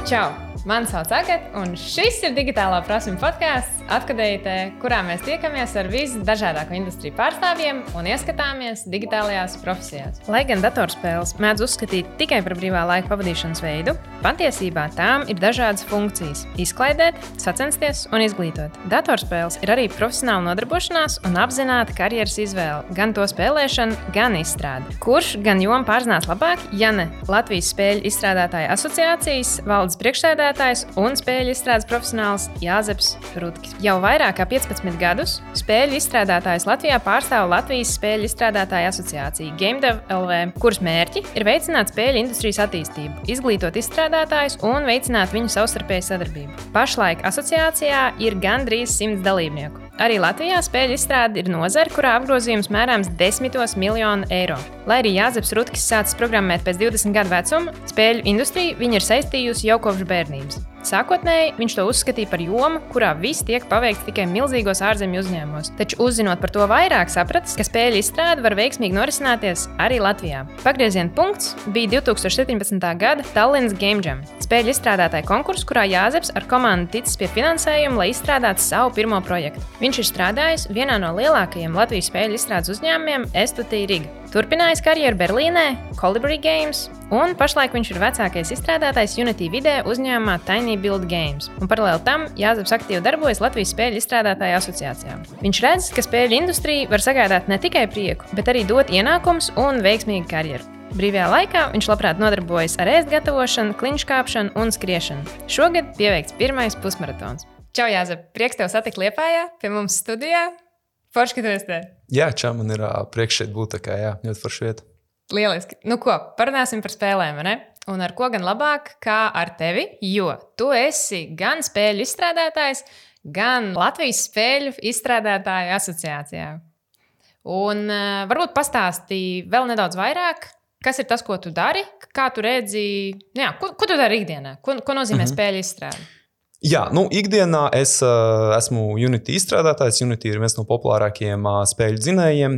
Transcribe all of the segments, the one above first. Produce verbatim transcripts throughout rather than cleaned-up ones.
Čau! Mani sauc Agata, un šis ir Digitālā prasme podcasts, atkadējotē, kurā mēs tiekamies ar visdažādāko industriju pārstāvjiem un ieskatāmies digitālajās profesijās. Lai gan datorspēles mēdz uzskatīt tikai par brīvā laika pavadīšanas veidu, patiesībā tām ir dažādas funkcijas – izklaidēt, sacensties un izglītot. Datorspēles ir arī profesionāla nodarbošanās un apzināta karjeras izvēle, gan to spēlēšana, gan izstrāde. Kurš gan jomu pārzinās labāk, ja ne Latvijas spēļu izstrādātāju asociācijas valdes priekšsēdētājs un spēļu izstrādes profesionāls Jāzeps Rutkis. Jau vairāk kā piecpadsmit gadus spēļu izstrādātājs Latvijā pārstāv Latvijas spēļu izstrādātāju asociāciju GameDev L V, kuras mērķi ir veicināt spēļu industrijas attīstību, izglītot izstrādātājus un veicināt viņu savstarpēju sadarbību. Pašlaik asociācijā ir gandrīz simts dalībnieku. Arī Latvijā spēļu izstrāde ir nozare, kurā apgrozījums mērāms desmitos miljonu eiro. Lai arī Jāzeps Rutkis sācis programmēt pēc divdesmit gadu vecuma, spēļu industriju viņa ir saistījusi jau kopš bērnības. Sākotnēji viņš to uzskatīja par jomu, kurā viss tiek paveikts tikai milzīgos ārzemju uzņēmumos, taču uzzinot par to vairāk sapratis, ka spēļu izstrāde var veiksmīgi norisināties arī Latvijā. Pagrieziena punkts bija divi tūkstoši septiņpadsmitā gada Tallinas Game Jam, spēļu izstrādātāju konkurss, kurā Jāzeps ar komandu ticis pie finansējuma, lai izstrādātu savu pirmo projektu. Viņš ir strādājis vienā no lielākajiem Latvijas spēļu izstrādes uzņēmumiem S two T Riga. Turpinājis karjeru Berlīnē, Colibri Games, un pašlaik viņš ir vecākais izstrādātājs Unity video uzņēmumā Tiny Build Games. Un paralēli tam Jāzeps aktīvi darbojas Latvijas spēļu izstrādātāju asociācijā. Viņš redz, ka spēļu industrija var sagādāt ne tikai prieku, bet arī dot ienākumus un veiksmīgu karjeru. Brīvajā laikā viņš labprāt nodarbojas ar ēst gatavošanu, kliņšu kāpšanu un skriešanu. Šogad pieveikts pirmais pusmaratons. Čau, Jāzep! Prieks tev satikt Liepājā, pie mums studijā. Forši, ka tu esi te. Jā, čau, man ir uh, priekš šeit būt, tā kā jā, ļoti forši vieta. Lieliski. Nu ko, parunāsim par spēlēm, vai ne? Un ar ko gan labāk, kā ar tevi, jo tu esi gan spēļu izstrādātājs, gan Latvijas spēļu izstrādātāju asociācijā. Un uh, varbūt pastāstīji vēl nedaudz vairāk, kas ir tas, ko tu dari, kā tu redzi, jā, ko, ko tu dari ikdienā, ko, ko nozīmē mm-hmm. spēļu izstrāde? Jā, nu, ikdienā es uh, esmu Unity izstrādātājs. Unity ir viens no populārākajiem uh, spēļu dzinējiem.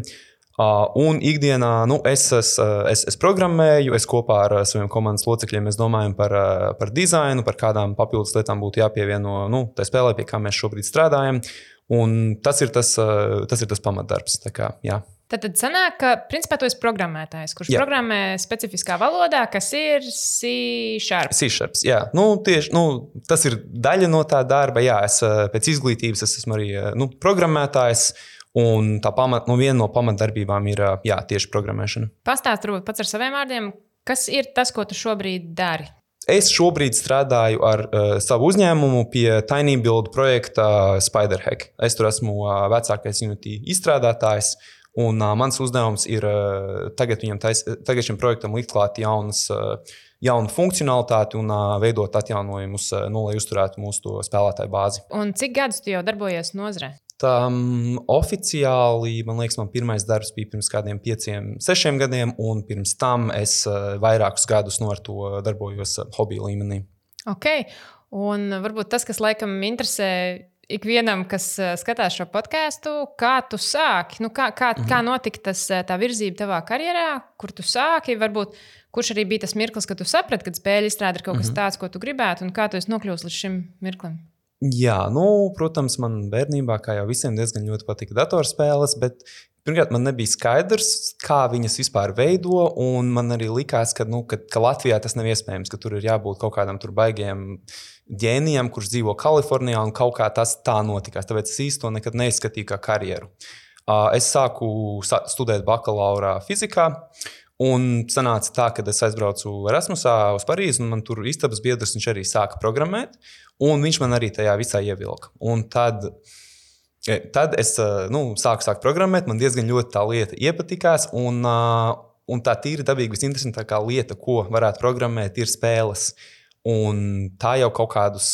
Uh, un ikdienā nu, es, es, es, es programmēju, es kopā ar uh, saviem komandas locekļiem mēs domājam par, uh, par dizainu, par kādām papildus lietām būtu jāpievieno nu, tai spēlē, pie kā mēs šobrīd strādājam. Un tas ir tas, uh, tas, ir tas pamatdarbs. Tā kā, jā. Tad, tad sanāk, ka principā tu esi programmētājs, kurš jā. Programmē specifiskā valodā, kas ir C Sharp. C Sharp, jā. Nu, tieši, nu, tas ir daļa no tā darba. Jā, es pēc izglītības es esmu arī nu, programmētājs, un tā pamat, nu, viena no pamatdarbībām ir jā, tieši programmēšana. Pastāst varbūt pats ar saviem vārdiem, kas ir tas, ko tu šobrīd dari? Es šobrīd strādāju ar uh, savu uzņēmumu pie Tiny Build projekta Spiderhack. Es tur esmu uh, vecākais Unity izstrādātājs. Un uh, mans uzdevums ir uh, tagad, tais, tagad šim projektam likt klāt jaunas, uh, jaunu funkcionalitāti un uh, veidot atjaunojumus, uh, nu, lai uzturētu mūsu spēlētāju bāzi. Un cik gadus tu jau darbojies nozarē? Um, oficiāli, man liekas, man pirmais darbs bija pirms kādiem pieciem, sešiem gadiem, un pirms tam es uh, vairākus gadus no ar to darbojos uh, hobiju līmenī. Ok, un varbūt tas, kas laikam interesē ikvienam, kas skatās šo podcastu, kā tu sāki, nu, kā, kā, mm-hmm. kā notika tas, tā virzība tavā karjerā, kur tu sāki, varbūt kurš arī bija tas mirklis, kad tu saprati, kad spēļu izstrāde ir kaut kas mm-hmm. tāds, ko tu gribētu, un kā tu esi nokļuvis līdz šim mirklim? Jā, nu, protams, man bērnībā, kā jau visiem, diezgan ļoti patika datorspēles, bet pirmkārt, man nebija skaidrs, kā viņas vispār veido, un man arī likās, ka, nu, ka, ka Latvijā tas nav iespējams, ka tur ir jābūt kaut kādam tur baigiem ģēnijam, kurš dzīvo Kalifornijā, un kaut kā tas tā notikās. Tāpēc es īsti to nekad neizskatīju kā karjeru. Es sāku studēt bakalaurā fizikā, un sanāca tā, ka es aizbraucu Erasmusā uz Parīzi, un man tur istabas biedrs, viņš arī sāka programmēt, un viņš man arī tajā visā ievilka. Un tad, tad es nu, sāku sākt programmēt, man diezgan ļoti tā lieta iepatikās, un, un tā tīri dabīgi visinteresantākā lieta, ko varētu programmēt, ir spēles. Un tā jau kaut kādus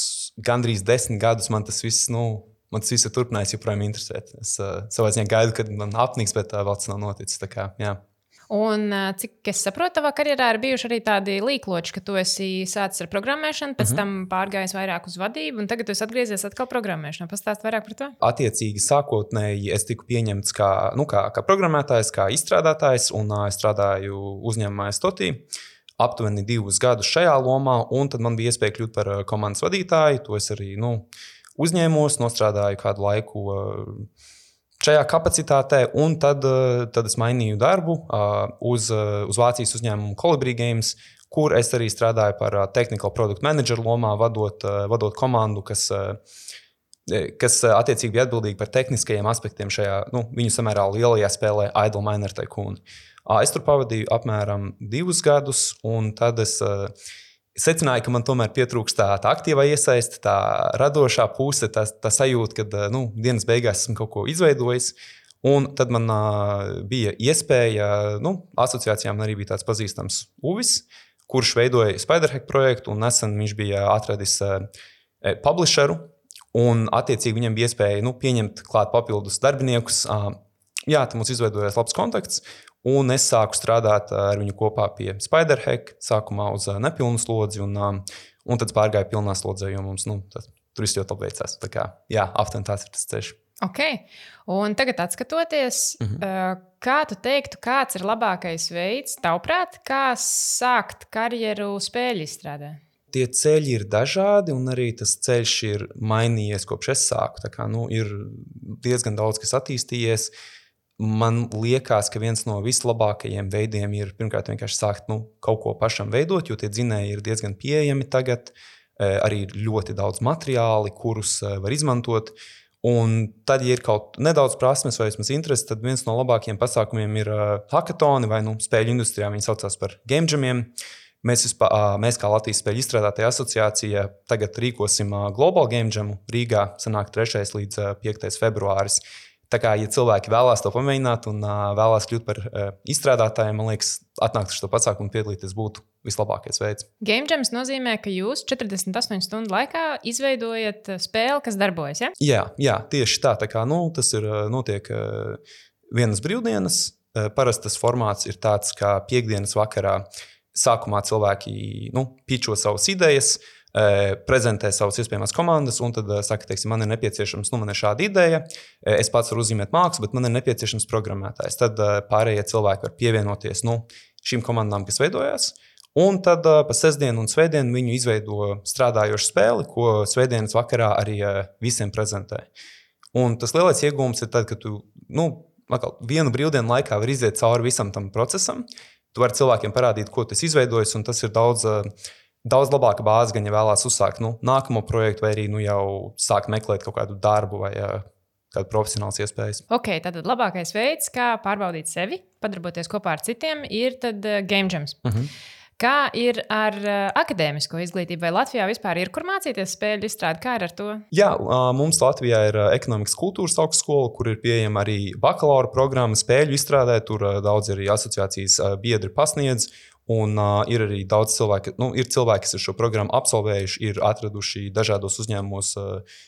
gandrīz desmit gadus man tas viss, nu, man tas viss ir turpinājis joprojām interesēt. Es uh, savā ziņā gaidu, kad man apniks, bet tā vēl tas nav noticis. Tā kā, jā. Un cik es saprotu, tavā karjerā ir bijuši arī tādi līkloči, ka tu esi sācis ar programmēšanu, pēc mm-hmm. tam pārgājis vairāk uz vadību, un tagad tu esi atgriezies atkal programmēšanā. Pastāst vairāk par to? Attiecīgi, sākotnēji es tiku pieņemts kā, nu, kā, kā programmētājs, kā izstrādātājs, un uh, es strādāju uzņēmumā S two T. aptuveni divus gadus šajā lomā, un tad man bija iespēja kļūt par komandas vadītāju. To es arī nu, uzņēmos, nostrādāju kādu laiku šajā kapacitātē, un tad, tad es mainīju darbu uz, uz Vācijas uzņēmumu Colibri Games, kur es arī strādāju par technical product manager lomā, vadot, vadot komandu, kas kas attiecīgi bija atbildīgi par tehniskajiem aspektiem šajā nu, viņu samērā lielajā spēlē Idle Miner Tycoon. Es tur pavadīju apmēram divus gadus, un tad es secināju, ka man tomēr pietrūkst tā, tā aktīvā iesaiste, tā radošā puse, tā, tā sajūta, ka nu, dienas beigās esmu kaut ko izveidojis. Un tad man bija iespēja, nu, asociācijām arī bija tāds pazīstams Uvis, kurš veidoja Spiderhack projektu, un nesen viņš bija atradis publisheru. Un, attiecīgi, viņam bija iespēja nu, pieņemt klāt papildus darbiniekus. Jā, tad mums izveidojās labs kontakts, un es sāku strādāt ar viņu kopā pie Spiderhack, sākumā uz nepilnu slodzi, un, un tad pārgāju pilnā slodzē, jo mums nu, tas, tur viss ļoti labi veicās. Tā kā, jā, aptuveni tāds ir tas ceļš. Ok, un tagad atskatoties, mm-hmm. kā tu teiktu, kāds ir labākais veids, tavuprāt, kā sākt karjeru spēļu izstrādē? Tie ceļi ir dažādi, un arī tas ceļš ir mainījies, kopš es sāku. Tā kā, nu, ir diezgan daudz, kas attīstījies. Man liekas, ka viens no vislabākajiem veidiem ir pirmkārt vienkārši sākt nu, kaut ko pašam veidot, jo tie dzinēji ir diezgan pieejami tagad. Arī ir ļoti daudz materiāli, kurus var izmantot. Un tad, ja ir kaut nedaudz prasmes vai vismaz interesi, tad viens no labākajiem pasākumiem ir hackathoni vai nu, spēļu industrijā. Viņi saucās par game jamiem. Mēs, vispār, mēs kā Latvijas spēļu izstrādātāja asociācija tagad rīkosim Global Game Jamu Rīgā, sanāk trešais līdz piektais februāris. Tā kā, ja cilvēki vēlās to pamēģināt un vēlās kļūt par izstrādātājiem, man liekas, atnākt uz šo pasākumu un piedalīties būtu vislabākais veids. Game Jams nozīmē, ka jūs četrdesmit astoņu stundu laikā izveidojat spēli, kas darbojas, ja? Jā, jā tieši tā. Tā kā, nu, tas ir notiek vienas brīvdienas. Parasti tas formāts ir tāds, kā piekdienas vakarā. Sākumā cilvēki nu, pičo savas idejas, prezentē savas iespējamās komandas, un tad saka, teiksim, man ir nepieciešams, nu, man ir šāda ideja, es pats varu uzzīmēt mākslu, bet man ir nepieciešams programmētājs. Tad pārējie cilvēki var pievienoties nu, šīm komandām, kas veidojās, un tad pa sestdienu un svētdienu viņu izveido strādājošu spēli, ko svētdienas vakarā arī visiem prezentē. Un tas lielais iegūms ir tad, ka tu nu, vienu brīvdienu laikā var iziet cauri visam tam procesam. Tu vari cilvēkiem parādīt, ko tas izveidojis, un tas ir daudz, daudz labāka bāze, gan ja vēlās uzsākt nu, nākamo projektu, vai arī nu, jau sākt meklēt kaut kādu darbu vai kādu profesionāls iespējas. Ok, tātad labākais veids, kā pārbaudīt sevi, padarboties kopā ar citiem, ir tad Game Jams. Uh-huh. Kā ir ar akadēmisko izglītību? Vai Latvijā vispār ir kur mācīties spēļu izstrādi? Kā ir ar to? Jā, mums Latvijā ir ekonomikas kultūras augstskola, kur ir pieejama arī bakalaura programma spēļu izstrādē. Tur daudz arī asociācijas biedri pasniedz. Un uh, ir arī daudz cilvēku, nu, ir cilvēki, kas ir šo programmu absolvējuši, ir atraduši dažādos uzņēmumos uh,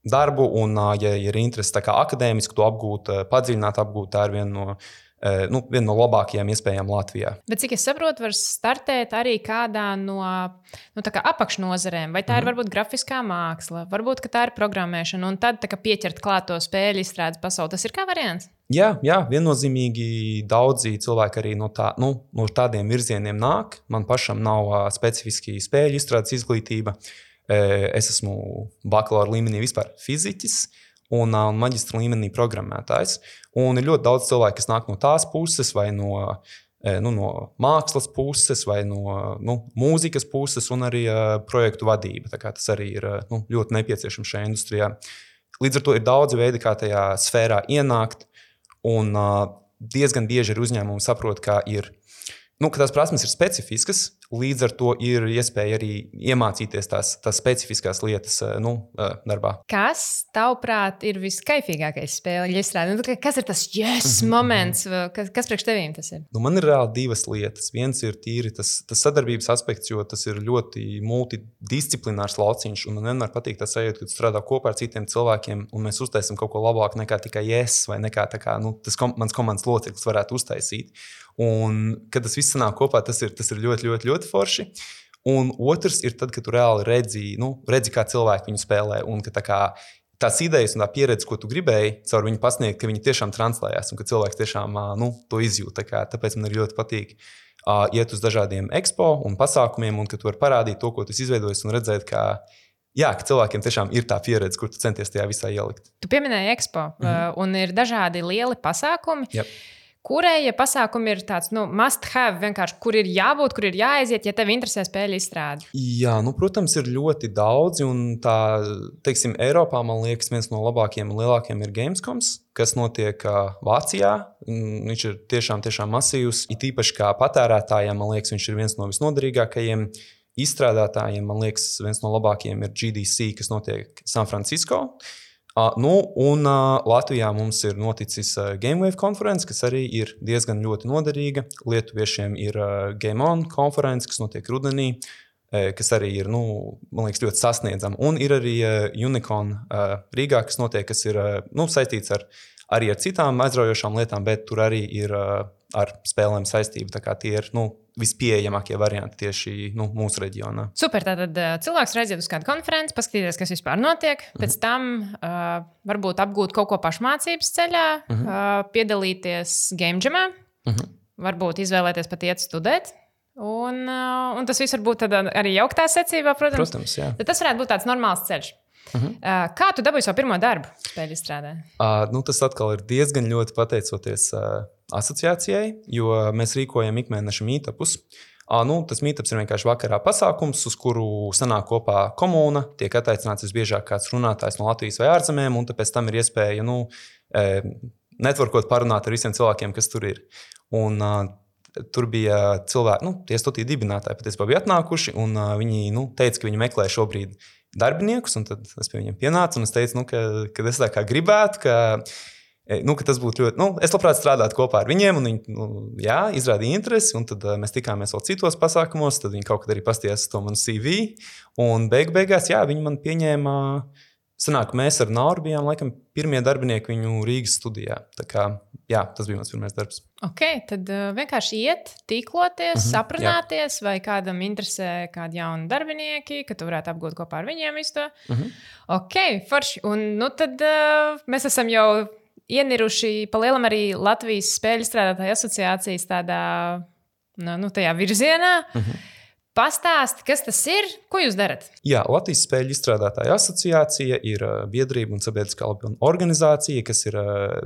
darbu. Un, uh, ja ir interesi tā kā akadēmiski to apgūt, uh, padziļināt apgūt, tā ir viena no Nu, viena no labākajām iespējām Latvijā. Bet, cik es saprotu, var startēt arī kādā no nu, tā kā apakšnozarēm. Vai tā mm-hmm. ir varbūt grafiskā māksla, varbūt tā ir programmēšana, un tad tā kā pieķert klāt to spēļu izstrādes pasauli. Tas ir kā variants? Jā, jā, viennozīmīgi daudzi cilvēki arī no, tā, nu, no tādiem virzieniem nāk. Man pašam nav uh, specifiski spēļu izstrādes izglītība. E, es esmu bakalaura līmenī vispār fiziķis. Un, un maģistra līmenī programmētājs. Un ir ļoti daudz cilvēku, kas nāk no tās puses, vai no, nu, no mākslas puses, vai no nu, mūzikas puses, un arī uh, projektu vadība. Tā kā tas arī ir nu, ļoti nepieciešams šajā industrijā. Līdz ar to ir daudzi veidi, kā tajā sfērā ienākt, un uh, diezgan bieži ir uzņēmumi saprot, ka, ir, nu, ka tās prasmes ir specifiskas. Līdz ar to ir iespēja arī iemācīties tās, tās specifiskās lietas nu, darbā. Kas, tavuprāt, ir viskaifīgākais spēļu izstrādē? Nu, kas ir tas yes moments? Kas, kas priekš tevīm tas ir? Nu, man ir reāli divas lietas. Viens ir tīri tas, tas sadarbības aspekts, jo tas ir ļoti multidisciplinārs lauciņš. Un man vienmēr patīk tas sajūta, kad strādā kopā ar citiem cilvēkiem, un mēs uztaisam kaut ko labāku nekā tikai yes, vai nekā tā kā, nu, tas kom, mans komandas loceklis varētu uztaisīt. Un, kad tas viss sanāk kopā, tas ir, tas ir ļoti, ļoti, ļoti forši. Un otrs ir tad, kad tu reāli redzi, nu, redzi kā cilvēki viņu spēlē, un ka tā kā tās idejas un tā pieredze, ko tu gribēji caur viņu pasniegt, ka viņi tiešām translējās, un ka cilvēks tiešām nu, to izjūt. Tā kā, tāpēc man ir ļoti patīk uh, iet uz dažādiem expo un pasākumiem, un ka tu vari parādīt to, ko tu izveidojis, un redzēt, kā, jā, ka cilvēkiem tiešām ir tā pieredze, kur tu centies tajā visā ielikt. Tu pieminēji expo, mm-hmm. uh, un ir dažādi lieli pasākumi. Yep. Kurēja pasākumi ir tāds, nu, must have, vienkārši, kur ir jābūt, kur ir jāaiziet, ja tev interesē spēļu izstrāde? Jā, nu, protams, ir ļoti daudzi, un tā, teiksim, Eiropā, man liekas, viens no labākajiem un lielākajiem ir Gamescoms, kas notiek uh, Vācijā. Viņš ir tiešām, tiešām masīvs, it īpaši kā patērētājiem, man liekas, viņš ir viens no visnoderīgākajiem. Izstrādātājiem, man liekas, viens no labākajiem ir G D C, kas notiek San Francisco. Uh, nu, un uh, Latvijā mums ir noticis uh, GameWave konference, kas arī ir diezgan ļoti noderīga. Lietuviešiem ir uh, Game On konference, kas notiek rudenī, uh, kas arī ir, nu, man liekas, ļoti sasniedzama. Un ir arī uh, Unicorn uh, Rīgā, kas notiek, kas ir uh, nu, saistīts ar, arī ar citām aizraujošām lietām, bet tur arī ir uh, ar spēlēm saistība. Tā kā tie ir, nu, vispieejamākie varianti tieši nu, mūsu reģionā. Super, tātad cilvēks reiziet uz kādu konferenci, paskatīties, kas vispār notiek, pēc mm-hmm. tam uh, varbūt apgūt kaut ko pašmācības ceļā, mm-hmm. uh, piedalīties game jamā, mm-hmm. varbūt izvēlēties pat iet studēt. Un, uh, un tas viss var būt arī jauktā secībā, protams. Protams, jā. Tad tas varētu būt tāds normāls ceļš. Uh-huh. Uh, kā tu dabūji savu pirmo darbu spēļu izstrādē? Uh, nu, tas atkal ir diezgan ļoti pateicoties uh, asociācijai, jo mēs rīkojam ikmēneša meetupus. Uh, nu, tas meetups ir vienkārši vakarā pasākums, uz kuru sanāk kopā komūna, tiek attaicināts visbiežāk kāds runātājs no Latvijas vai ārzemēm, un tāpēc tam ir iespēja nu, eh, networkot parunāt ar visiem cilvēkiem, kas tur ir. Un, uh, Tur bija cilvēki, nu, tie studiju dibinātāji patiesībā bija atnākuši, un uh, viņi nu, teica, ka viņi meklē šobrīd darbiniekus, un tad es pie viņiem pienācu, un es teicu, nu, ka, ka es tā kā gribētu, ka, nu, ka tas būtu ļoti, nu, es labprāt strādātu kopā ar viņiem, un viņi, nu, jā, izrādīja interesi, un tad uh, mēs tikāmies vēl citos pasākumos, tad viņi kaut kad arī pastījās to manu C V, un beig beigās, jā, viņi man pieņēma, sanāk, mēs ar Nauru bijām, laikam, pirmie darbinieki viņu Rīgas studijā, tā kā, jā, tas bija mans pirmais darbs. Ok, tad uh, vienkārši iet, tīkloties, mm-hmm, aprunāties, jā. Vai kādam interesē kādi jauni darbinieki, ka tu varētu apgūt kopā ar viņiem visu to. Mm-hmm. Ok, forši. Un nu tad uh, mēs esam jau ieniruši pa lielam arī Latvijas spēļu strādātāju asociācijas tādā, nu, tajā virzienā. Mm-hmm. Pastāsti, kas tas ir, ko jūs darat? Jā, Latvijas spēļu izstrādātāju asociācija ir biedrība un sabiedriskā organizācija, kas ir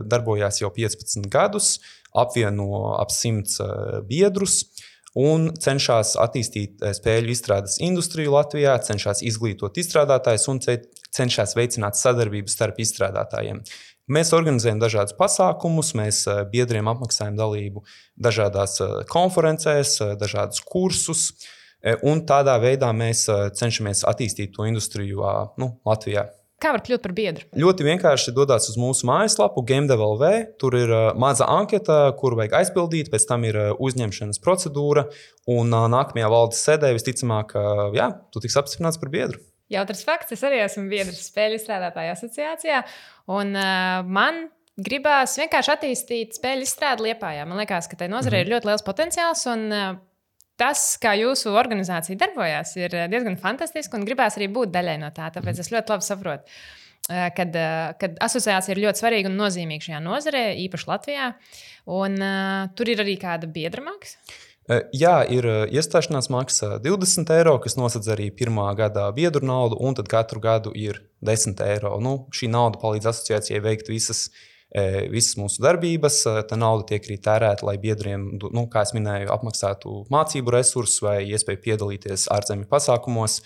darbojās jau piecpadsmit gadus, apvieno ap simts biedrus un cenšas attīstīt spēļu izstrādes industriju Latvijā, cenšas izglītot izstrādātājus un cenšas veicināt sadarbību starp izstrādātājiem. Mēs organizējam dažādus pasākumus, mēs biedriem apmaksājam dalību dažādās konferencēs, dažādus kursus. Un tādā veidā mēs cenšamies attīstīt to industriju nu, Latvijā. Kā var kļūt par biedru? Ļoti vienkārši dodās uz mūsu mājaslapu GameDev L V. Tur ir maza anketa, kuru vajag aizpildīt, pēc tam ir uzņemšanas procedūra. Un nākamajā valdes sēdē visticamāk, jā, tu tiks apstiprināts par biedru. Jautrs fakts, es arī esmu biedrs spēļu izstrādātāju asociācijā. Un uh, man gribās vienkārši attīstīt spēļu izstrādi Liepājā. Man liekas, ka tai nozarei mm-hmm. ir ļoti liels potenciāls. Un, uh, Tas, kā jūsu organizācija darbojās, ir diezgan fantastiski un gribās arī būt daļai no tā. Tāpēc es ļoti labi saprotu, kad, kad asociācija ir ļoti svarīga un nozīmīga šajā nozarē, īpaši Latvijā. Un uh, tur ir arī kāda biedra maksa? Jā, ir iestāšanās maksa divdesmit eiro, kas nosedz arī pirmā gada biedru naudu, un tad katru gadu ir desmit eiro. Nu, šī nauda palīdz asociācijai veikt visas Visas mūsu darbības, tā nauda tiek arī tērēta, lai biedriem, nu, kā es minēju, apmaksātu mācību resursus vai iespēju piedalīties ārzemju pasākumos.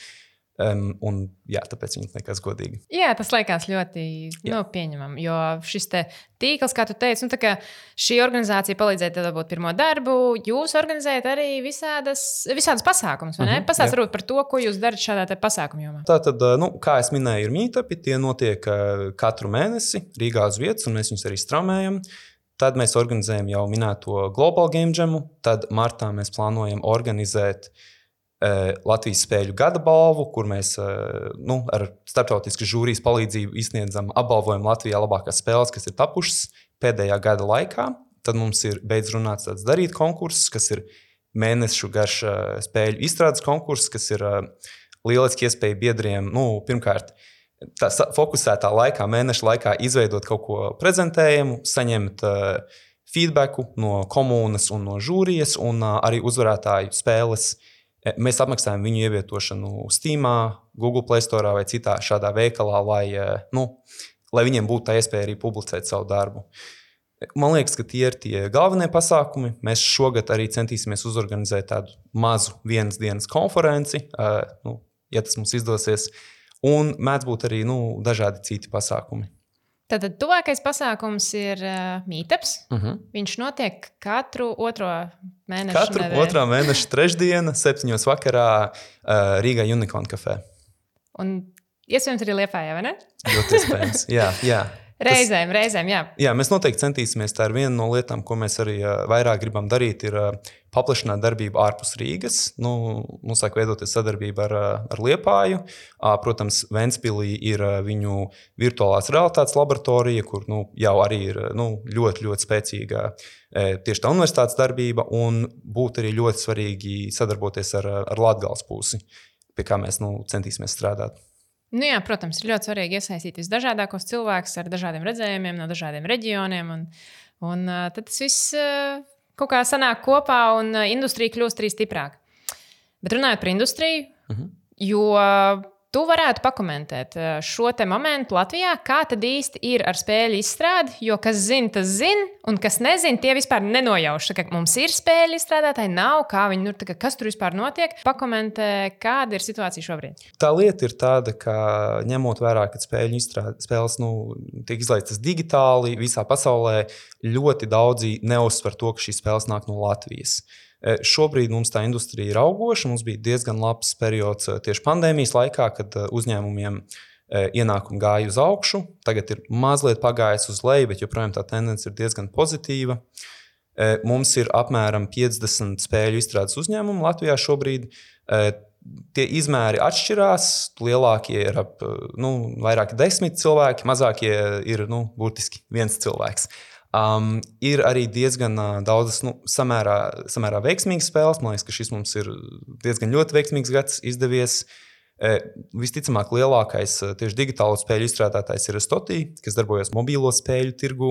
Um, un, jā, tāpēc viņi liekas godīgi. Jā, tas liekas ļoti nu, pieņemami, jo šis te tīkls, kā tu teici, nu, tā kā šī organizācija palīdzēja tev dabūt pirmo darbu, jūs organizējat arī visādas, visādas pasākumus, vai ne? Uh-huh, Pastāst varbūt par to, ko jūs darat šādā te pasākumu jomā. Tātad, nu, kā es minēju, ir meetupi, tie notiek katru mēnesi Rīgā uz vietas, un mēs viņus arī straumējam. Tad mēs organizējam jau minēto Global Game Jamu, tad martā mēs plānojam organizēt Latvijas spēļu gada balvu, kur mēs nu, ar starptautiskas žūrijas palīdzību izsniedzam apbalvojumu Latvijā labākās spēles, kas ir tapušas pēdējā gada laikā. Tad mums ir beidz runāts tāds darīt konkurss, kas ir mēnešu garš spēļu izstrādes konkurss, kas ir lieliski iespēja biedriem, nu, pirmkārt, tā fokusētā laikā, mēneša laikā izveidot kaut ko prezentējumu, saņemt feedbacku no komunas un no žūrijas, un uh, arī uzvarētāju spēles. Mēs apmaksājam viņu ievietošanu Steamā, Google Play Store vai citā šādā veikalā, lai, nu, lai viņiem būtu tā iespēja arī publicēt savu darbu. Man liekas, ka tie ir tie galvenie pasākumi. Mēs šogad arī centīsimies uzorganizēt tādu mazu vienas dienas konferenci, uh, nu, ja tas mums izdosies, un mēdz būt arī nu, dažādi citi pasākumi. Tātad tuvākais pasākums ir uh, Meetups. Uh-huh. Viņš notiek katru otro mēnešu Katru nedēļu. otrā mēneša trešdiena, septiņos vakarā uh, Rīgā Unicorn kafē. Un iespējams arī Liepājā, vai ne? Ļoti iespējams, jā, jā. Reizēm, Tas, reizēm, jā. Jā, mēs noteikti centīsimies. Tā ir viena no lietām, ko mēs arī uh, vairāk gribam darīt, ir uh, paplašināt darbību ārpus Rīgas. Nu, mums sāk veidoties sadarbība ar, ar Liepāju. Uh, protams, Ventspilī ir uh, viņu virtuālās realitātes laboratorija, kur nu, jau arī ir nu, ļoti, ļoti spēcīga uh, tieši tā universitātes darbība, un būtu arī ļoti svarīgi sadarboties ar, ar Latgales pusi, pie kā mēs nu, centīsimies strādāt. Nu jā, protams, ir ļoti svarīgi iesaistīt visdažādākos cilvēkus ar dažādiem redzējumiem, no dažādiem reģioniem. Un, un tad tas viss kaut kā sanāk kopā un industrija kļūst arī stiprāka. Bet runājot par industriju, uh-huh. jo tu varētu pakomentēt šo te momentu Latvijā, kā tad īsti ir ar spēļu izstrādi, jo kas zina, tas zina, un kas nezina, tie vispār nenojauš. Ka mums ir spēļu izstrādātāji, nav, kā viņi, nu, tā, kas tur vispār notiek. Pakomentē, kāda ir situācija šobrīd. Tā lieta ir tāda, ka ņemot vērā, ka spēļu izstrāde, spēles nu, tiek izlaistas digitāli visā pasaulē, ļoti daudzi neuzsver to, ka šīs spēles nāk no Latvijas. Šobrīd mums tā industrija ir augoša. Mums bija diezgan labs periods tieši pandēmijas laikā, kad uzņēmumiem ienākumi gāja uz augšu. Tagad ir mazliet pagājis uz leju, bet joprojām tā tendence ir diezgan pozitīva. Mums ir apmēram piecdesmit spēļu izstrādes uzņēmumu Latvijā šobrīd. Tie izmēri atšķirās. Lielākie ir ap nu, vairāk desmit cilvēki, mazākie ir nu, burtiski viens cilvēks. Um, ir arī diezgan uh, daudzas nu, samērā, samērā veiksmīgas spēles. Man liekas, ka šis mums ir diezgan ļoti veiksmīgs gads izdevies. E, visticamāk, lielākais uh, tieši digitālo spēļu izstrādātājs ir Stotī, kas darbojas mobīlo spēļu tirgu.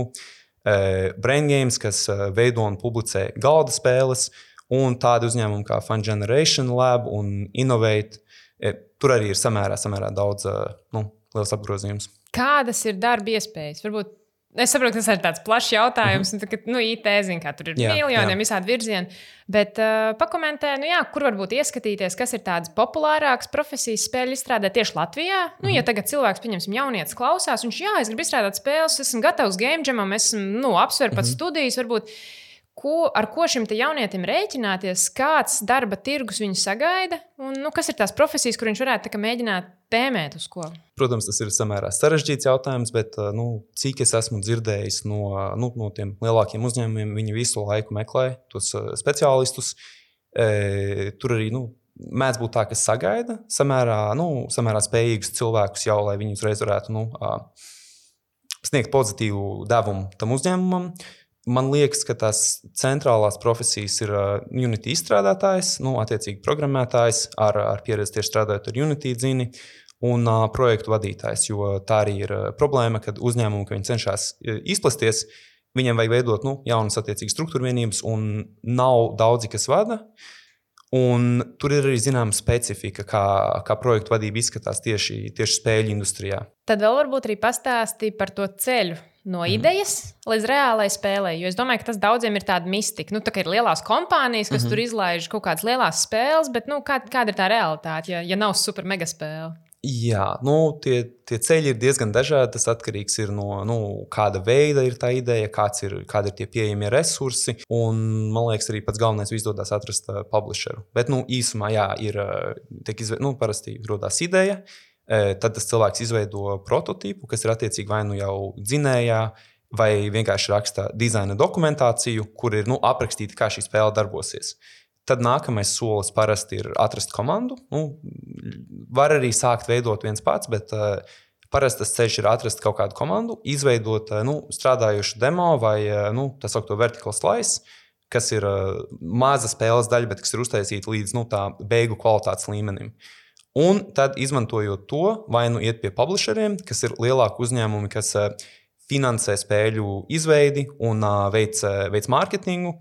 E, Brain Games, kas uh, veido un publicē galda spēles. Un tādi uzņēmumi kā Fun Generation Lab un Innovate. E, tur arī ir samērā, samērā daudz uh, nu, liels apgrozījums. Kādas ir darba iespējas? Varbūt es saprotu, ka tas ir tāds plašs jautājums, mm-hmm. un tā, ka, nu, I T, zin, kā tur ir jā, miljoniem jā. Visādi virzieni, bet uh, pakomentē, nu jā, kur varbūt ieskatīties, kas ir tādas populārākas profesijas spēļu izstrādē tieši Latvijā. Mm-hmm. Nu, ja tagad cilvēks, pieņemsim, jaunietis klausās, viņš, jā, es gribu izstrādāt spēles, esmu gatavs game jamam, esmu, nu, apsver pat mm-hmm. studijas, varbūt, ko, ar ko šim te jaunietim rēķināties, kāds darba tirgus viņu sagaida, un, nu, kas ir tās profesijas, kur viņš varētu tā kā mēģināt tēmēt uz ko? Protams, tas ir samērā sarežģīts jautājums, bet nu, cik es esmu dzirdējis no, nu, no tiem lielākiem uzņēmumiem, viņi visu laiku meklē tos speciālistus. E, tur arī nu, mēdz būt tā, ka sagaida samērā, nu, samērā spējīgus cilvēkus jau, lai viņi uzreiz varētu nu, sniegt pozitīvu devumu tam uzņēmumam. Man liekas, ka tās centrālās profesijas ir Unity izstrādātājs, nu, attiecīgi programmētājs ar, ar pieredzi tieši strādājot ar Unity dzini un uh, projektu vadītājs, jo tā arī ir uh, problēma, kad uzņēmumi, ka viņi cenšas uh, izplasties, viņiem vajag veidot nu, jaunas attiecīgas struktūrvienības un nav daudzi, kas vada. Un tur ir arī zināma specifika, kā, kā projektu vadība izskatās tieši, tieši spēļu industrijā. Tad vēl varbūt arī pastāstīja par to ceļu no idejas mm. līdz reālai spēlei. Jo es domāju, ka tas daudziem ir tāda mistika. Nu, tā kā ir lielās kompānijas, kas mm-hmm. tur izlaiž kaut kādas lielās spēles, bet nu, kā, kāda ir tā realitāte, ja, ja nav super mega spēle? Jā, nu, tie, tie ceļi ir diezgan dažādi. Tas atkarīgs ir no nu, kāda veida ir tā ideja, kāds ir, kādi ir tie pieejamie resursi. Un, man liekas, arī pats galvenais izdodas atrast uh, publisheru. Bet nu, īsumā jā, ir, tiek izve... nu, parasti rodās ideja. Tad tas cilvēks izveido prototipu, kas ir attiecīgi vai nu jau dzinējā, vai vienkārši raksta dizaina dokumentāciju, kur ir nu, aprakstīta, kā šī spēle darbosies. Tad nākamais solis parasti ir atrast komandu. Nu, var arī sākt veidot viens pats, bet uh, parasti tas ceļš ir atrast kaut kādu komandu, izveidot uh, nu, strādājušu demo vai uh, nu, tā saukto vertical slice, kas ir uh, maza spēles daļa, bet kas ir uztaisīta līdz nu, tā beigu kvalitātes līmenim. Un tad, izmantojot to, vai nu iet pie publisheriem, kas ir lielāki uzņēmumi, kas uh, finansē spēļu izveidi un uh, veic, veic mārketingu.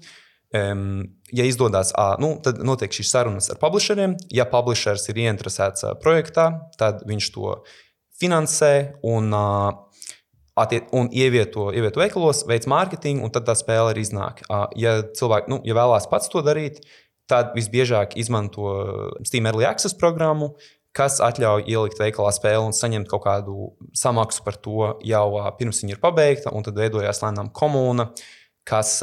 Um, ja izdodas, uh, nu, tad notiek šīs sarunas ar publisheriem. Ja publishers ir ieinteresēts uh, projektā, tad viņš to finansē un, uh, attiet, un ievieto, ievieto veikalos, veic mārketingu, un tad tā spēle arī iznāk. Uh, ja cilvēki, nu, ja vēlās pats to darīt, tad visbiežāk izmanto Steam Early Access programmu, kas atļauj ielikt veikalā spēli un saņemt kaut kādu samaksu par to jau pirms viņa ir pabeigta, un tad veidojās lēnām komūna, kas,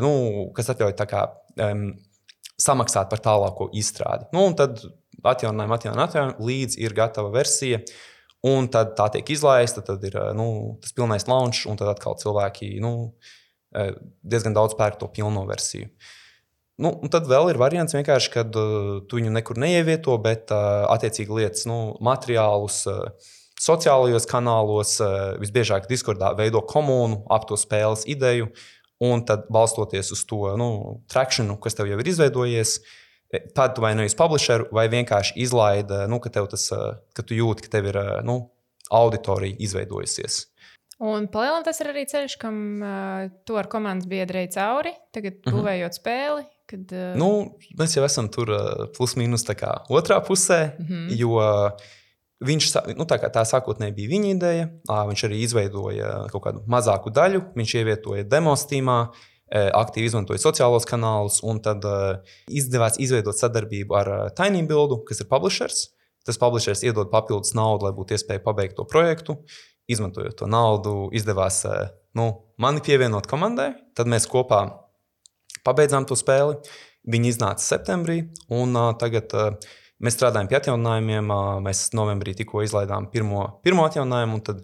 nu, kas atļauj tā kā um, samaksāt par tālāko izstrādi. Nu, un tad atjauninājumi, atjauninājumi, atjauninājumi, līdz ir gatava versija, un tad tā tiek izlaista, tad ir nu, tas pilnais launch, un tad atkal cilvēki nu, diezgan daudz pērk to pilno versiju. Nu, un tad vēl ir variants vienkārši, kad uh, tu viņu nekur neievieto, bet uh, attiecīgi lietas nu, materiālus uh, sociālajos kanālos, uh, visbiežāk Discordā veido komūnu ap to spēles ideju, un tad balstoties uz to nu, trakšanu, kas tev jau ir izveidojies, tad tu vai nu esi publisheru, vai vienkārši izlaida, nu, ka, tev tas, uh, ka tu jūti, ka tev ir uh, nu, auditorija izveidojusies. Un palielam tas ir arī ceļš, kam uh, tu ar komandas biedri ej cauri, tagad būvējot mm-hmm. spēli. Kad, uh... nu, mēs jau esam tur uh, plus mīnus tā kā otrā pusē, mm-hmm. jo viņš, nu, tā, kā tā sākotnēji bija viņa ideja, uh, viņš arī izveidoja kaut kādu mazāku daļu, viņš ievietoja demo Steamā, uh, aktīvi izmantoja sociālos kanālus, un tad uh, izdevās izveidot sadarbību ar uh, TinyBuildu, kas ir publishers. Tas publishers iedod papildus naudu, lai būtu iespēja pabeigt to projektu. Izmantojot to naudu, izdevās uh, nu, mani pievienot komandai, tad mēs kopā pabeidzām to spēli. Viņi iznāca septembrī, un uh, tagad uh, mēs strādājam pie atjauninājumiem. Uh, mēs novembrī tikko izlaidām pirmo, pirmo atjauninājumu, un tad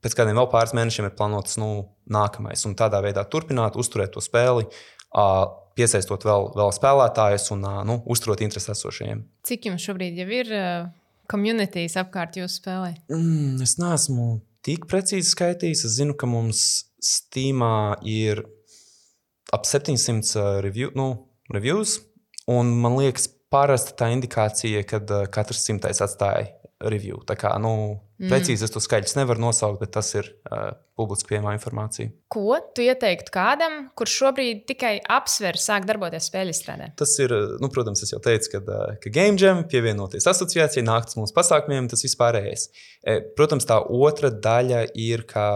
pēc kādiem vēl pāris mēnešiem ir plānots nu, nākamais. Un tādā veidā turpināt, uzturēt to spēli, uh, piesaistot vēl, vēl spēlētājus un uh, nu, uzturot interesi esošajiem. Cik jums šobrīd jau ir uh, communities apkārt jūsu spēlē? Mm, es neesmu tik precīzi skaitījis. Es zinu, ka mums Steamā ir ap septiņsimt uh, review, nu, reviews, un man liekas parasti tā indikācija, kad uh, katrs simtais atstāja review. Tā kā, nu, mm. precīzi es to skaļus nevaru nosaukt, bet tas ir uh, publiski pieejamā informācija. Ko tu ieteiktu kādam, kurš šobrīd tikai apsver sāk darboties spēļu izstrādē? Tas ir, nu, protams, es jau teicu, kad, uh, ka Game Jam pievienoties asociācijai, nākt uz mūsu pasākumiem, tas vispārējais. E, protams, tā otra daļa ir, ka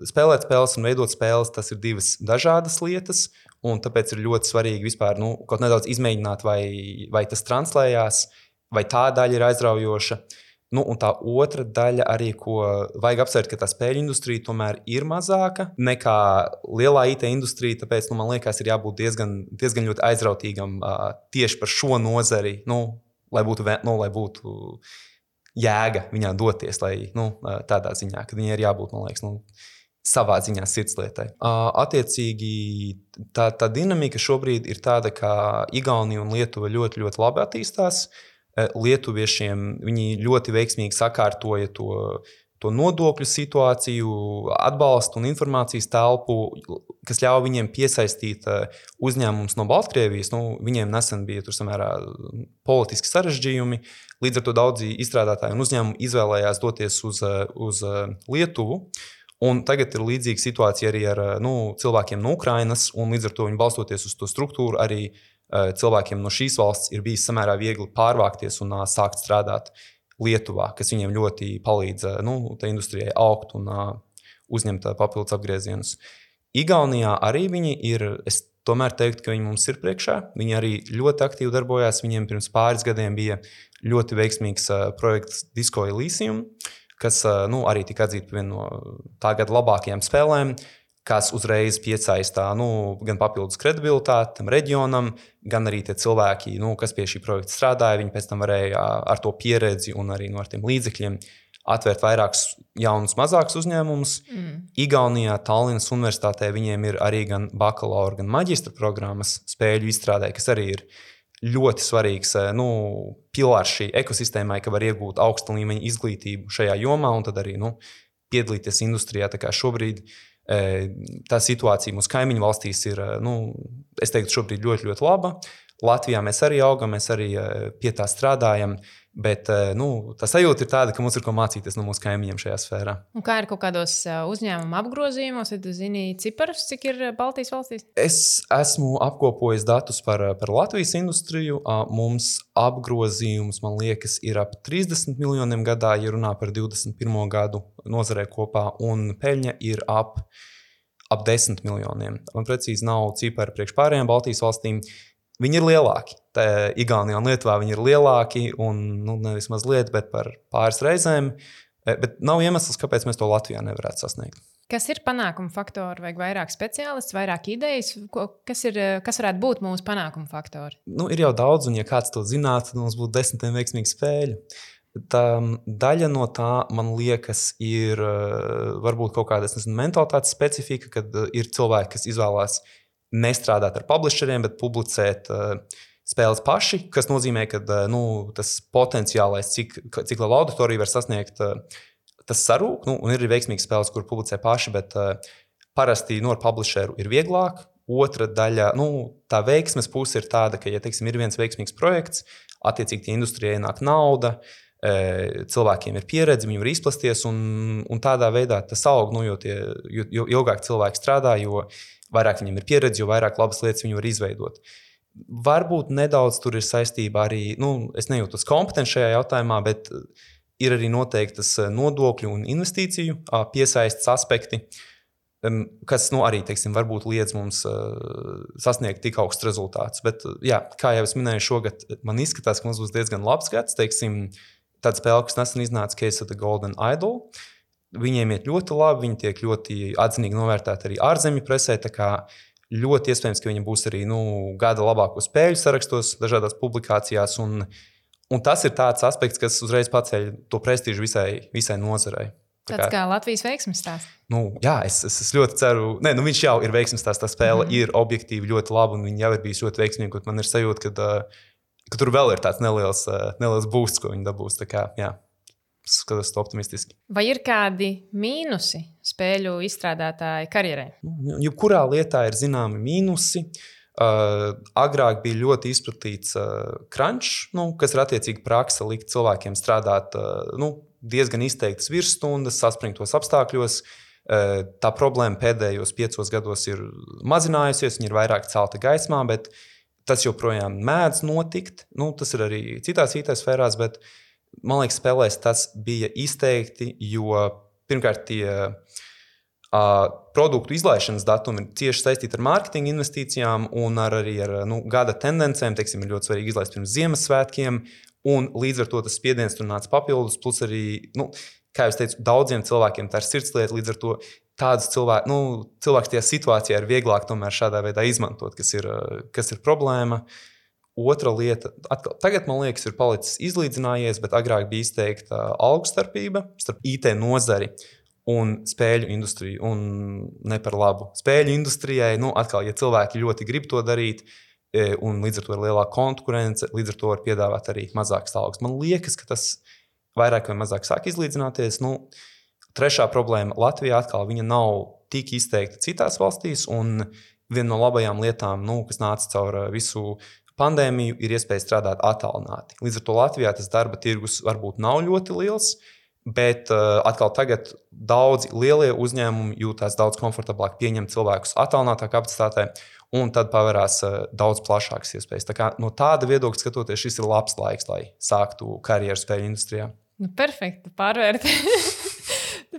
spēlēt spēles un veidot spēles, tas ir divas dažādas lietas, un tāpēc ir ļoti svarīgi vispār, nu, kaut nedaudz izmēģināt, vai, vai tas translējās, vai tā daļa ir aizraujoša. Nu, un tā otra daļa arī, ko vajag apsvērt, ka tā spēļu industrija tomēr ir mazāka nekā lielā I T industrija, tāpēc, nu, man liekas, ir jābūt diezgan, diezgan ļoti aizrautīgam uh, tieši par šo nozari, nu, lai būtu, nu, lai būtu jēga viņā doties, lai, nu, tādā ziņā, kad viņai ir jābūt, man liekas, nu, savā ziņā sirdslietai. Uh, attiecīgi, tā, tā dinamika šobrīd ir tāda, ka Igaunija un Lietuva ļoti, ļoti labi attīstās. Lietuviešiem viņi ļoti veiksmīgi sakārtoja to, to nodokļu situāciju, atbalstu un informācijas telpu, kas ļauj viņiem piesaistīt uzņēmumus no Baltkrievijas. Nu, viņiem nesen bija tur samērā politiski sarežģījumi, līdz ar to daudzi izstrādātāji un uzņēmumi izvēlējās doties uz, uz Lietuvu. Un tagad ir līdzīga situācija arī ar nu, cilvēkiem no Ukrainas, un līdz ar to viņi balstoties uz to struktūru arī cilvēkiem no šīs valsts ir bijis samērā viegli pārvākties un uh, sākt strādāt Lietuvā, kas viņiem ļoti palīdz uh, nu, tā industrijai augt un uh, uzņemt uh, papildus apgriezienus. Igaunijā arī viņi ir, es tomēr teiktu, ka viņi mums ir priekšā. Viņi arī ļoti aktīvi darbojās. Viņiem pirms pāris gadiem bija ļoti veiksmīgs uh, projekts Disco Elysium, kas uh, nu, arī tika atzīta par vienu no tā gada labākajām spēlēm, kas uzreiz piesaistā nu, gan papildus kredibilitāti tam reģionam, gan arī tie cilvēki, nu, kas pie šī projekta strādāja, viņi pēc tam varēja ar to pieredzi un arī no ar tiem līdzekļiem atvērt vairākus jaunus, mazākus uzņēmumus. Mm. Igaunijā, Tallinas universitātē viņiem ir arī gan bakalaura, gan maģistra programmas spēļu izstrādē, kas arī ir ļoti svarīgs nu, pilārs šī ekosistēmai, ka var iegūt augsta līmeņa izglītību šajā jomā un tad arī nu, piedalīties industrijā. Tā kā šobrīd tā situācija mūsu kaimiņu valstīs ir, nu, es teiktu, šobrīd ļoti, ļoti laba. Latvijā mēs arī augam, mēs arī pie tā strādājam. Bet nu, tā sajūta ir tāda, ka mums ir ko mācīties no mūsu kaimiņiem šajā sfērā. Un kā ir kaut kādos uzņēmuma apgrozījumos, vai tu zini ciparus, cik ir Baltijas valstīs? Es esmu apkopojis datus par, par Latvijas industriju. Mums apgrozījums, man liekas, ir ap trīsdesmit miljoniem gadā, ja runā par divdesmit pirmo gadu nozarē kopā, un peļņa ir ap, ap desmit miljoniem. Man precīzi nav cipari priekš pārējām Baltijas valstīm. Viņi ir lielāki. Tā Igaunijā un Lietuvā viņi ir lielāki, un nu, nevis mazliet, bet par pāris reizēm. Bet nav iemesls, kāpēc mēs to Latvijā nevarētu sasniegt. Kas ir panākuma faktori? Vajag vairāk speciālistu, vairāk idejas? Kas, ir, kas varētu būt mūsu panākuma faktori? Nu, ir jau daudz, un ja kāds to zinātu, tad mums būtu desmitiem veiksmīgu spēļu. Tā daļa no tā, man liekas, ir varbūt kaut kāda mentalitātes specifika, kad ir cilvēki, kas izvēlās nestrādāt ar publisheriem, bet publicēt uh, spēles paši, kas nozīmē, ka uh, nu, tas potenciālais, cik, cik liela auditorija var sasniegt, uh, tas sarūk. Nu, un ir arī veiksmīgas spēles, kur publicē paši, bet uh, parasti no publisheru ir vieglāk. Otra daļa, nu, tā veiksmes puse ir tāda, ka, ja teiksim, ir viens veiksmīgs projekts, attiecīgi tie industrijai ienāk nauda, cilvēkiem ir pieredze, viņi var izplasties, un, un tādā veidā tas aug, nu, jo, tie, jo, jo ilgāk cilvēki strādā, jo vairāk viņiem ir pieredze, jo vairāk labas lietas viņi var izveidot. Varbūt nedaudz tur ir saistība arī, nu, es nejūtos kompetents šajā jautājumā, bet ir arī noteiktas nodokļu un investīciju piesaistes aspekti, kas, nu, arī, teiksim, varbūt liedz mums sasniegt tik augsts rezultāts. Bet, jā, kā jau es minēju, šogad man izskatās, ka mums būs diezgan labs gads, teiksim, tāda spēle, kas nesen iznāca Case of the Golden Idol. Viņiem iet ļoti labi, viņi tiek ļoti atzinīgi novērtēti arī ārzemju presē, tā kā ļoti iespējams, ka viņi būs arī nu, gada labāko spēļu sarakstos, dažādās publikācijās, un, un tas ir tāds aspekts, kas uzreiz paceļ to prestīžu visai, visai nozarei. Tā Tāds kā, kā Latvijas veiksmes stāsts. Nu, jā, es, es, es ļoti ceru, ne, nu viņš jau ir veiksmes stāsts, tā spēle mm. ir objektīvi ļoti laba, un viņi jau ir bijis ļoti veiksmīgi, un man ir sajūta, ka, ka tur vēl ir tāds neliels, neliels boosts, ko viņi dabūs, tā kā, jā. Skatos optimistiski. Vai ir kādi mīnusi spēļu izstrādātāju karjerai? Jebkurā lietā ir zināmi mīnusi. Uh, agrāk bija ļoti izplatīts uh, crunch, nu, kas ir attiecīgi praksa likt cilvēkiem strādāt uh, nu, diezgan izteiktas virsstundas, saspringtos apstākļos. Uh, tā problēma pēdējos piecos gados ir mazinājusies, viņa ir vairāk celta gaismā, bet tas joprojām mēdz notikt. Nu, tas ir arī citās I T sfērās, bet man liekas, spēlēs tas bija izteikti, jo pirmkārt tie uh, produktu izlaišanas datumi ir cieši saistīti ar mārketinga investīcijām un ar, arī ar nu, gada tendencēm. Teiksim, ir ļoti svarīgi izlaist pirms Ziemassvētkiem, un līdz ar to tas spiediens tur nāca papildus. Plus arī, nu, kā jau teicu, daudziem cilvēkiem tā ir sirdslieta, līdz ar to tādus cilvēkus, nu, cilvēks tajā situācijā ir vieglāk tomēr šādā veidā izmantot, kas ir, kas ir problēma. Otra lieta, atkal, tagad, man liekas, ir palicis izlīdzinājies, bet agrāk bija izteikta algu starpība starp I T nozari un spēļu industriju, un ne par labu. Spēļu industrijai, nu, atkal, ja cilvēki ļoti grib to darīt, un līdz ar to ir lielāka konkurence, līdz ar to var piedāvāt arī mazākas algas. Man liekas, ka tas vairāk vai mazāk sāk izlīdzināties. Nu, trešā problēma Latvijā atkal viņa nav tik izteikta citās valstīs, un viena no labajām lietām, nu, kas nāca caur visu pandēmiju, ir iespēja strādāt attālināti. Līdz ar to Latvijā tas darba tirgus varbūt nav ļoti liels, bet uh, atkal tagad daudzi lielie uzņēmumi jūtās daudz komfortablāk pieņemt cilvēkus attālinātā kapacitātē, un tad pavērās uh, daudz plašākas iespējas. Tā kā no tāda viedokļa skatoties, šis ir labs laiks, lai sāktu karjeru spēļu industrijā. Nu, perfekti, pārvērt.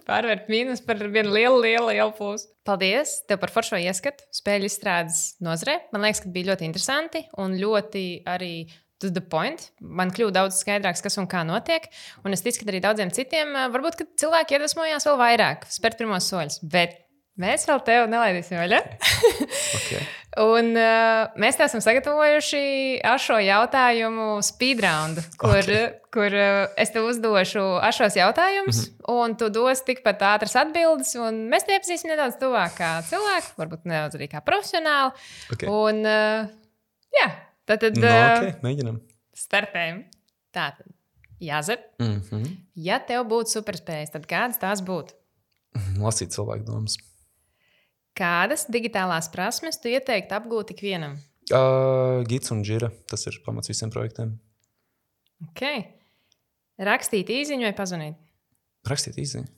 Pārvērt mīnus par vienu lielu, lielu, lielu plusu. Paldies tev par foršo ieskatu spēļu izstrādes nozarē. Man liekas, ka bija ļoti interesanti un ļoti arī to the point. Man kļuva daudz skaidrāks, kas un kā notiek. Un es ticu, ka arī daudziem citiem varbūt, ka cilvēki iedvesmojās vēl vairāk spērt pirmos soļus. Bet mēs vēl tev nelaidīsim vaļā. Okay. Un uh, mēs te esam sagatavojuši ar šo jautājumu speedroundu, kur, okay. kur uh, es tev uzdošu ar šos jautājumus, mm-hmm. un tu dos tikpat ātras atbildes, un mēs te iepazīsim nedaudz tuvāk kā cilvēku, varbūt nedaudz arī kā profesionāli. Okay. Un, uh, jā, tad, tad no, uh, okay. Mēģinam. Startējam. Tātad, Jāzep, mm-hmm. ja tev būtu superspējas, tad kādas tās būtu? Lasīt cilvēku domas. Kādas digitālās prasmes tu ieteiktu apgūt ikvienam? Uh, Gits un Jira, tas ir pamats visiem projektiem. Okay. Rakstīt īziņu vai pazvanīt? Rakstīt īziņu.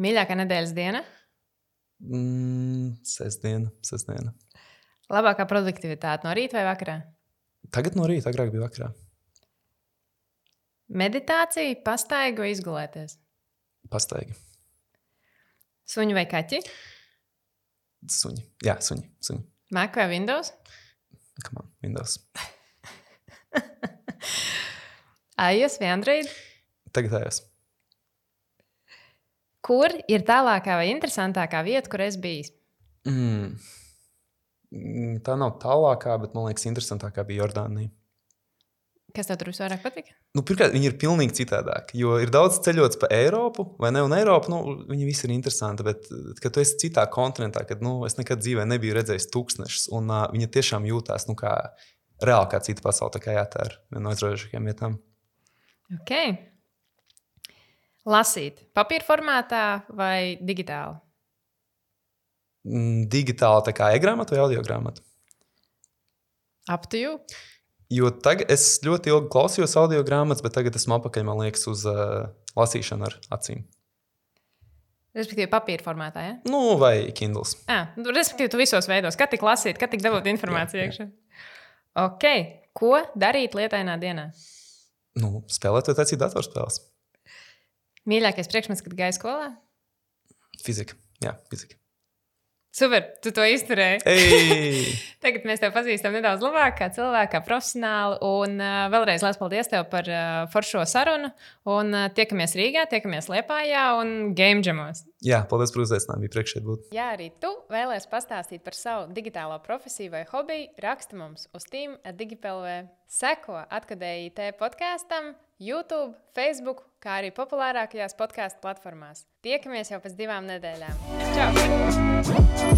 Mīļākā nedēļas diena? Mm, sestdiena, sestdiena. Labākā produktivitāte no rīta vai vakarā? Tagad no rīta, agrāk bija vakarā. Meditācija, pastaiga vai izgulēties? Pastaigi. Suņi vai kaķi? Suņi. Jā, suņi. suņi. Mac vai Windows? Come on, Windows. iOS vai Android? Tagad iOS. Kur ir tālākā vai interesantākā vieta, kur es biju? Mm. Tā nav tālākā, bet man liekas, interesantākā bija Jordānija. Kas tev tur visvairāk patika? Nu, pirmkārt, viņi ir pilnīgi citādāki. Jo ir daudz ceļots pa Eiropu, vai ne? Un Eiropa, nu, viņi visi ir interesanti. Bet, kad tu esi citā kontinentā, kad nu, es nekad dzīvē nebiju redzējis tūkstnešus, un uh, viņi tiešām jūtās nu, kā reāli kā cita pasaule. Tā kā jā, tā ir viena no aizraujošākajām vietām. Ok. Lasīt papīra formātā vai digitāli? Mm, digitāli tā kā e-grāmata vai audiogrāmata? Up to you. Jo tagad es ļoti ilgi klausījos audio grāmatas, bet tagad esmu apakaļ, man liekas, uz uh, lasīšanu ar acīm. Respektīvi, papīra formātā, ja? Nu, vai Kindles. Ah, respektīvi, tu visos veidos. Kad tik lasīt, kad tik dabūt informāciju iekšā? Ok. Ko darīt lietainā dienā? Nu, spēlēt vai taisīt datorspēles. Mīļākais priekšmets, kad gāji skolā? Fizika. Jā, fizika. Super, tu to izturēji. Ei! Tagad mēs tevi pazīstam nedaudz labāk, kā cilvēku, kā profesionāli. Un uh, vēlreiz liels paldies tev par uh, foršo sarunu. Un uh, tiekamies Rīgā, tiekamies Liepājā un Game Jamos. Jā, paldies par uzaicinājumu. Bija priekš šeit būt. Ja arī tu vēlies pastāstīt par savu digitālo profesiju vai hobiju, raksti mums uz team at digipelv. Seko Atkadēji I T podkāstam, YouTube, Facebook, kā arī populārākajās podkāstu platformās. Tiekamies jau pēc divām nedēļām. Čau!